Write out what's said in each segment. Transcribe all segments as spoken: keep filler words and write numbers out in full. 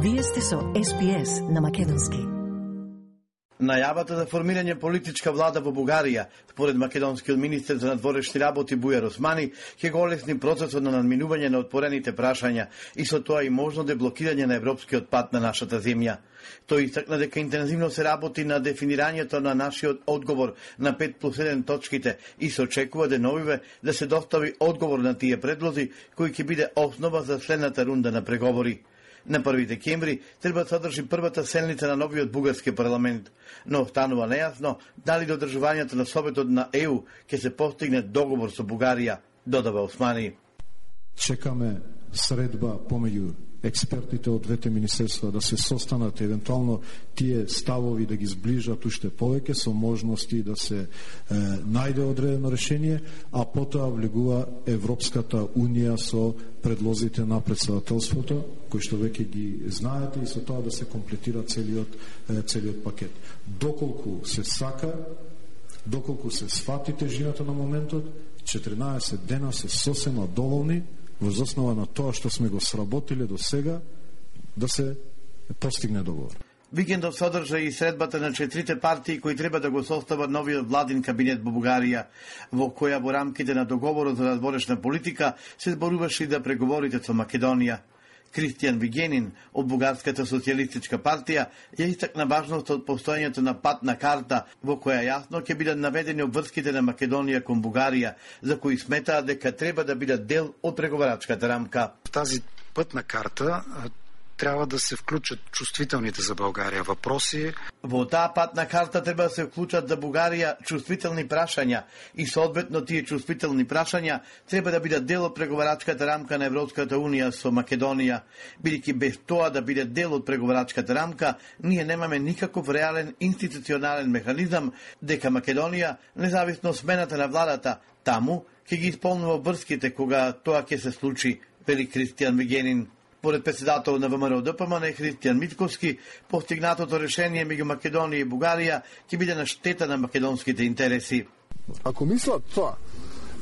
Вие сте со Ес Би Ес на македонски. Најавата за формирање политичка влада во Бугарија, според македонскиот министер за надворешни работи Бујар Османи, ќе го олесни процесот на надминување на отворените прашања и со тоа и можно деблокирање на европскиот пат на нашата земја. Тој истакна дека интензивно се работи на дефинирањето на нашиот одговор на пет плюс еден точките и се очекува деновиве да се достави одговор на тие предлози кои ќе биде основа за следната рунда на преговори. На први декември треба да содржи првата седница на новиот бугарски парламент, но останува нејасно дали до одржувањето на Советот на Е У ќе се постигне договор со Бугарија, додава Османи. Чекаме средба помеѓу експертите од двете министерства да се состанат, евентуално тие ставови да ги сближат уште повеќе со можности да се е, најде одредено решение, а потоа влегува Европската унија со предлозите на председателството, кои што веќе ги знаете, и со тоа да се комплетира целиот, е, целиот пакет. Доколку се сака, доколку се сфати тежината на моментот, четиринаесет дена се сосема доволни воз основа на тоа што сме го сработиле до сега да се постигне договор. Викендов содржа и средбата на четирите партии кои треба да го состават новиот владин кабинет во Бугарија, во која во рамките на договорот за надворешна политика се зборуваше и да преговорите со Македонија. Кристијан Вигенин од Бугарската социјалистичка партија ја истакна важноста од постојањето на патна карта во која јасно ќе бидат наведени обврските на Македонија кон Бугарија, за кои сметаат дека треба да бидат дел од преговарачката рамка. Тази пътна карта трябва да се вклучат чувствителните за Българија въпроси. Во таа патна карта треба да се вклучат за Бугарија чувствителни прашања и соодветно тие чувствителни прашања треба да бидат дел од преговарачката рамка на Европската унија со Македонија. Бидејќи без тоа да биде дел од преговарачката рамка, ние немаме никаков реален институционален механизам дека Македонија, независно од смената на владата, таму ќе ги исполнува обврските кога тоа ќе се случи, вели Кристијан Вигенин. Според председател на ВМРО Д П М Н Христијан Митковски, постигнатото решение меѓу Македонија и Бугарија ќе биде на штета на македонските интереси. Ако мислат тоа,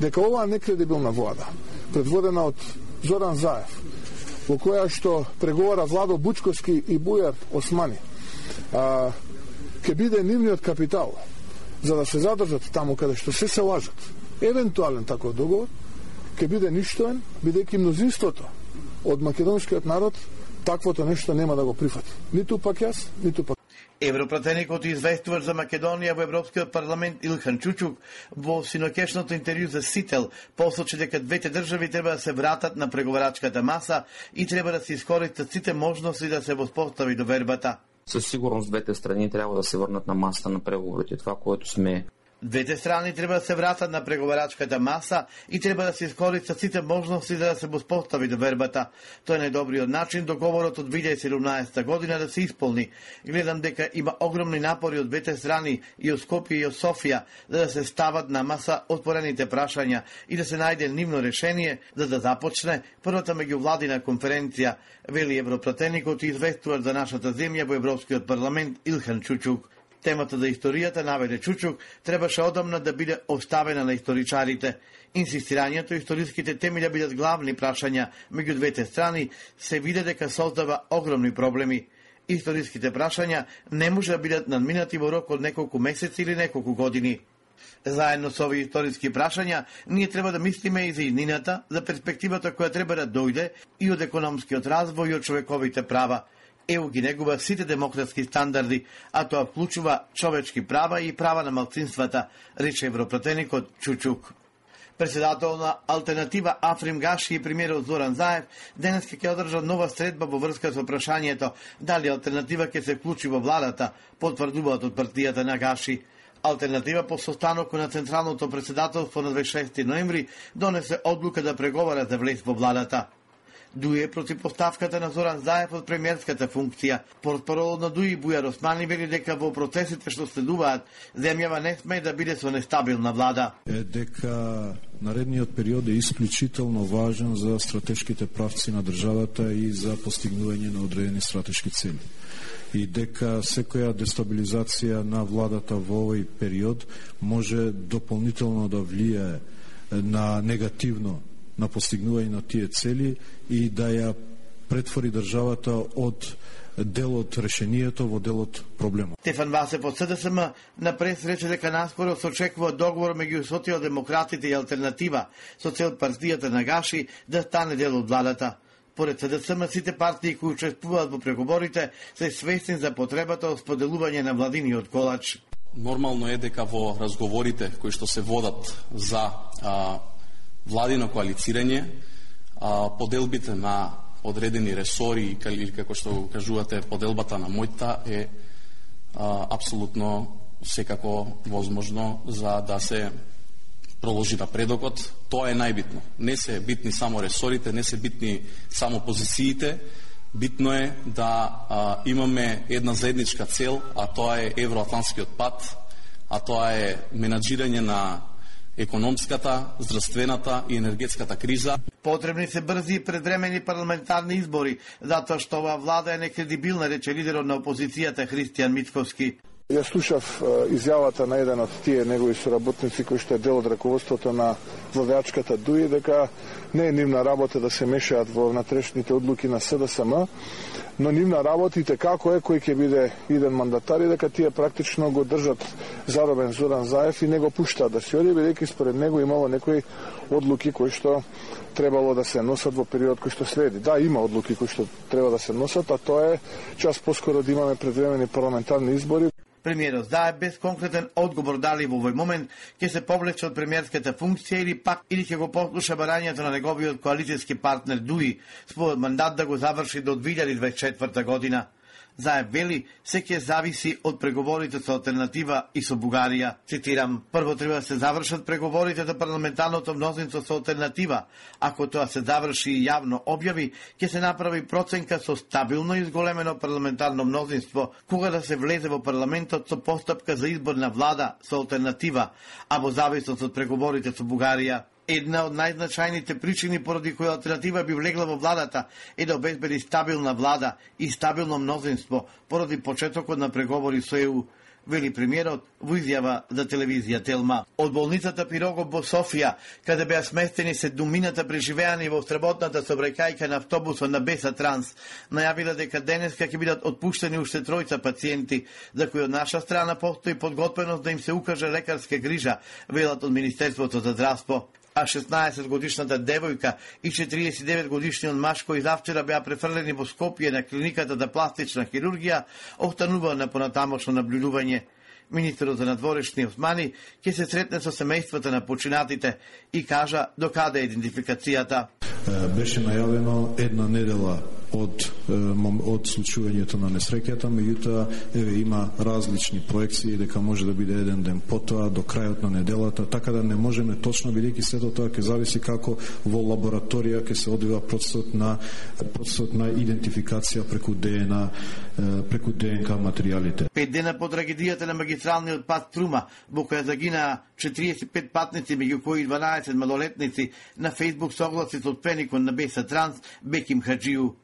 дека оваа некредибилна влада, предводена од Зоран Заев, во која што преговара Владо Бучковски и Бујар Османи, а, ќе биде нивниот капитал за да се задржат таму каде што се се лажат, евентуален таков договор, ќе биде ништоен, бидејќи мнозинството од македонскиот народ таквото нешто нема да го прифати. Ниту пак јас, ниту пак. Европратеникот и известуваш за Македонија во Европскиот парламент Илхан Чучук во синоќешното интервју за Сител посочи дека двете држави треба да се вратат на преговарачката маса и треба да се искористат сите можности да се воспостави довербата. Със сигурност двете страни трябва да се върнат на масата на преговорите. Това, което сме Двете страни треба да се вратат на преговарачката маса и треба да се искористат сите можности за да се воспостави довербата. Тоа е најдобриот начин договорот од две илјади и седумнаесета година да се исполни. Гледам дека има огромни напори од двете страни, и од Скопје и од Софија, за да се стават на маса отворените прашања и да се најде нивно решение за да започне првата меѓувладина конференција, вели европратеникот и известуваш за нашата земја во Европскиот парламент Илхан Чучук. Темата за историјата, наведе Чучук, требаше одамна да биде оставена на историчарите. Инсистирањето историските теми да бидат главни прашања меѓу двете страни се виде дека создава огромни проблеми. Историските прашања не може да бидат надминати во рок од неколку месеци или неколку години. Заедно со овие историски прашања, ние треба да мислиме и за иднината, за перспективата која треба да дојде и од економскиот развој и од човековите права. Е У ги негува сите демократски стандарди, а тоа вклучува човечки права и права на малцинствата, рече европратеникот Чучук. Председател на Алтернатива Африм Гаши и премиерот Зоран Заев денес ќе одржа нова средба во врска со прашањето дали Алтернатива ќе се вклучи во владата, потврдуваат од партијата на Гаши. Алтернатива по состанокот на Централното председателство на дваесет и шести ноември донесе одлука да преговара за влез во владата. Дуе против поставката на Зоран Заев од премиерската функција. Портпаролот на Дуи Бујар Османи вели дека во процесите што следуваат, земјава не сме да биде со нестабилна влада. Е дека наредниот период е исклучително важен за стратешките правци на државата и за постигнување на одредени стратешки цели. И дека секоја дестабилизација на владата во овој период може дополнително да влијае на негативно на постигнување на тие цели и да ја претвори државата од делот решението во делот проблемот. Стефан Васев од СДСМ на прес рече дека наскоро се очекува договор меѓу социјалдемократите и алтернатива со цел партијата на Гаши да стане дел од владата. Поред СДСМ, сите партии кои учествуваат во преговорите се свесни за потребата од споделување на владиниот колач. Нормално е дека во разговорите кои што се водат за а, владино коалицирање, а, поделбите на одредени ресори или како што кажувате поделбата на мојта е а, апсолутно секако возможно за да се проложи напредокот. Тоа е најбитно. Не се битни само ресорите, не се битни само позициите. Битно е да а, имаме една заедничка цел, а тоа е евроатлантскиот пат, а тоа е менаџирање на економската, здравствената и енергетската криза. Потребни се брзи и предвремени парламентарни избори, затоа што оваа влада е некредибилна, рече лидерот на опозицијата Христијан Мицковски. Ја слушав изјавата на еден од тие негови соработници кој што е дел од раководството на владеачката ДУИ, дека не е нивна работа да се мешаат во внатрешните одлуки на СДСМ, но нивна работа и како е кој ќе биде иден мандатар и дека тие практично го држат заробен Зоран Заев и не го пуштаат да се оди, бидејќи според него имало некои одлуки кои што требало да се носат во период кој што следи. Да, има одлуки кои што треба да се носат, а тоа е час поскоро да имаме предвремени парламентарни избори. Премиерот Заев без конкретен одговор дали во овој момент ќе се повлече од премиерската функција или пак или ќе го послуша барањето на неговиот коалицијски партнер ДУИ, според мандат да го заврши до две илјади дваесет и четврта година. Заев вели, се ќе зависи од преговорите со алтернатива и со Бугарија. Цитирам, прво треба да се завршат преговорите за парламентарното мнозинство со алтернатива. Ако тоа се заврши и јавно објави, ќе се направи проценка со стабилно изголемено парламентарно мнозинство, кога да се влезе во парламентот со постапка за избор на влада со алтернатива, а во зависност од преговорите со Бугарија. Една од најзначајните причини поради која алтернатива би влегла во владата е да обезбеди стабилна влада и стабилно мнозинство поради почетокот на преговори со Е У, вели премиерот во изјава за телевизија Телма. Од болницата Пирогов во Софија, каде беа сместени седумината преживеани во сработната сообраќајка на автобусот на Беса Транс, најавила дека денеска ќе бидат отпуштени уште тројца пациенти, за кои од наша страна постои подготвеност да им се укаже лекарска грижа, велат од Министерството за здравство. А шеснаесетгодишната девојка и четириесет и девет годишниот маж кои завчера беа префрлени во Скопје на клиниката за пластична хирургија, останува на понатамошно наблюдување. Министерот за надворешни Османи ќе се сретне со семејствата на починатите и кажа до каде е идентификацијата. Беше најавено една недела од од случувањето на несреќата, меѓутоа еве има различни проекции дека може да биде еден ден потоа до крајот на неделата, така да не можеме точно, бидејќи сето тоа ќе зависи како во лабораторија ќе се одвива процесот на процесот на идентификација преку ДНК преку ДНК материјалите. Пет дена по трагедијата на магистралниот пат Струма, во која загинаа четириесет и пет патници, меѓу кои дванаесет малолетници, на Фејсбук согласи со отпреникот на Беса Транс Беким Хаджију.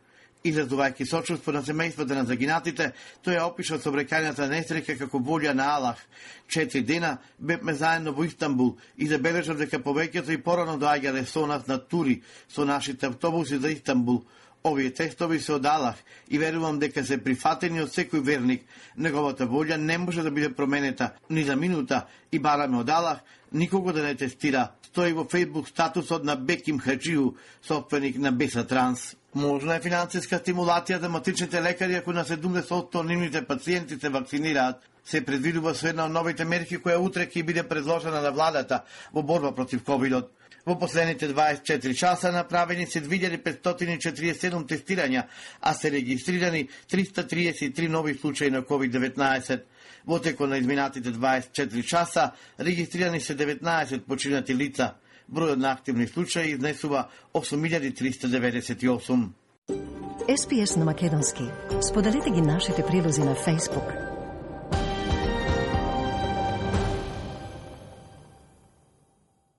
Изразувајќи сочувство на семејствата на загинатите, тој ја опишал сообраќајната несреќа како волја на Аллах. Четири дена бевме заедно во Истанбул и забележав дека повеќето и порано доаѓале со нас на тури со нашите автобуси за Истанбул. Овие тестови се од Аллах и верувам дека се прифатени од секој верник. Неговата волја не може да биде променета ни за минута и бараме од Аллах никого да не тестира. Стои во Фејсбук статусот на Беким Хаджију, собственик на Беса Транс. Можна е финансиска стимулација за матичните лекари ако на седумдесет одсто нивните пациенти се вакцинираат. Се предвидува со една од новите мерки која утре ќе биде предложена на владата во борба против ковидот. Во последните дваесет и четири часа направени се две илјади петстотини и четириесет и седум тестирања, а се регистрирани триста триесет и три нови случаи на ковид деветнаесет. Во текот на изминатите дваесет и четири часа регистрирани се деветнаесет починати лица. Бројот на активни случаи изнесува осум илјади триста деветдесет и осум. Ес Пи Ес на македонски. Споделете ги нашите прилози на Facebook.